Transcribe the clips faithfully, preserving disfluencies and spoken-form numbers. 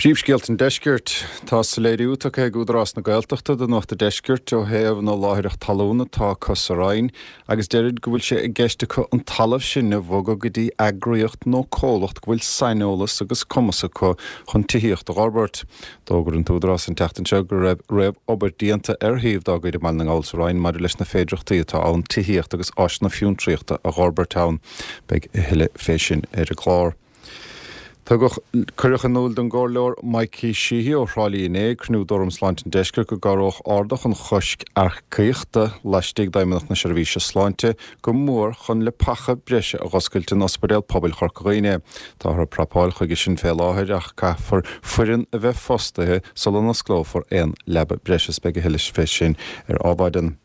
Príomhscéalta an Deiscirt. Tá soiléiriú tugtha ag Údarás na Gaeltachta do Nuacht an Deiscirt ó thaobh na láithreach talún atá acu sa Rinn agus deirid go bhfuil sé i gceist acu an talamh sin a bhogadh go dtí eagraíocht nó comhlacht go bhfuil saineolas agus cumas acu chun tithíocht a fhorbairt. D'fhógair an tÚdarás an tseachtain seo go raibh réamhobair déanta ar shuíomh dá gcuid i mBaile na nGall sa Rinn maidir leis na féidearthachtaí atá ann tithíocht agus áiseanna fiontraíochta a fhorbairt ann. Beidh a thuilleadh fé sin ar an gclár. Tugadh cuireadh in iúl don gcomhairleoir Mikey Sheehy ó Thrá Lí inné ag cruinniú d'Fhóram Sláinte an Deiscirt go gcabhródh ardach an choisc earcaíochta laistigh d'Fheidhmeannacht na Seirbhíse Sláinte go mór chun leapacha breise a dh'oscailt in Ospidéal Pobail Chorca Dhuibhne. Táthar ag prapáil chuige sin fé láthair ach caithfear foireann a bheith fostaithe sula n-osclófar aon leaba breise is beidh a thuilleadh fé sin ar Adhmhaidin.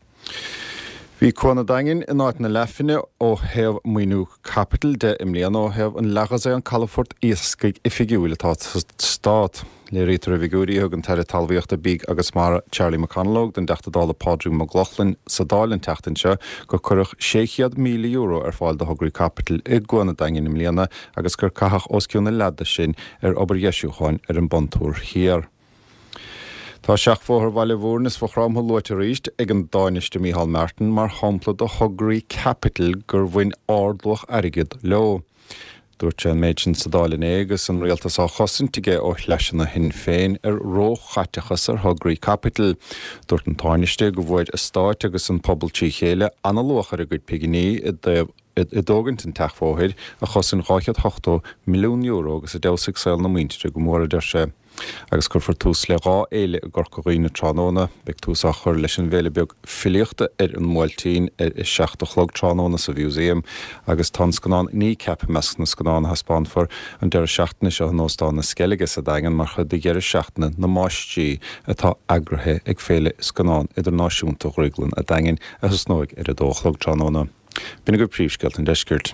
Bhí Cuan an Daingin in áit na leathphingne ó thaobh maoiniú caipitil de i mbliana ó thaobh an leathdhosaen calafort iascaigh oifigiúil atá sa stát. Léirítear i bhfigiúirí a thug an tAire Talmhaíochta, Bídh agus Mara Charlie McConalogue don dTeachta Dála Pádraig Mac Lochlainn sa Dáil an tseachtain seo gur cuireadh sé chéad míle euro ar fáil do thograí caipitil i gCuan an Daingin i mbliana agus gur caitheadh os cionn a leath de sin ar obair dheisiúcháin ar an bPontúr Thiar. Tá seachbhóthar Bhaile Mhúirne is Mhaigh Chromtha luaite arís ag an Tánaiste Micheál Martin mar shampla de thograí caipitil gur bhain ardluach airgid leo. Dúirt sé an méid sin sa Dáil inné agus an rialtas á chosaint aige ó shleaiseanna Shinn Féin ar róchaiteachas ar thograí caipitil. Dúirt an Tánaiste go bhfuair an stát agus an pobal trí chéile an-luach ar a gcuid pinginí i dtaobh i dtógaint an tseachbhóthair a chosain dhá chéad ochtó milliún euro agus a d'fheabhsaigh saol na muintire go mór, a deir sé. Agus cuirfear tús le dhá fhéile i gCorca Dhuibhne tráthnóna. Beidh tús á chur leis an bhféile beag filíochta ar an mBuailtín ar a seacht a chlog tráthnóna sa Mhúsaem agus tá an scannán Kneecap i measc na scannán a thaispeánfar an deireadh seachtaine seo in Óstán na Sceilge sa Daingean mar chuid de dheireadh seachtaine na máistrí atá eagraithe ag Féile Scannán Idirnáisiúnta Dhrioglann a' Daingin a thosnóidh ar a dó a chlog tráthnóna. B'in agaibh príomhscéalta an deiscirt.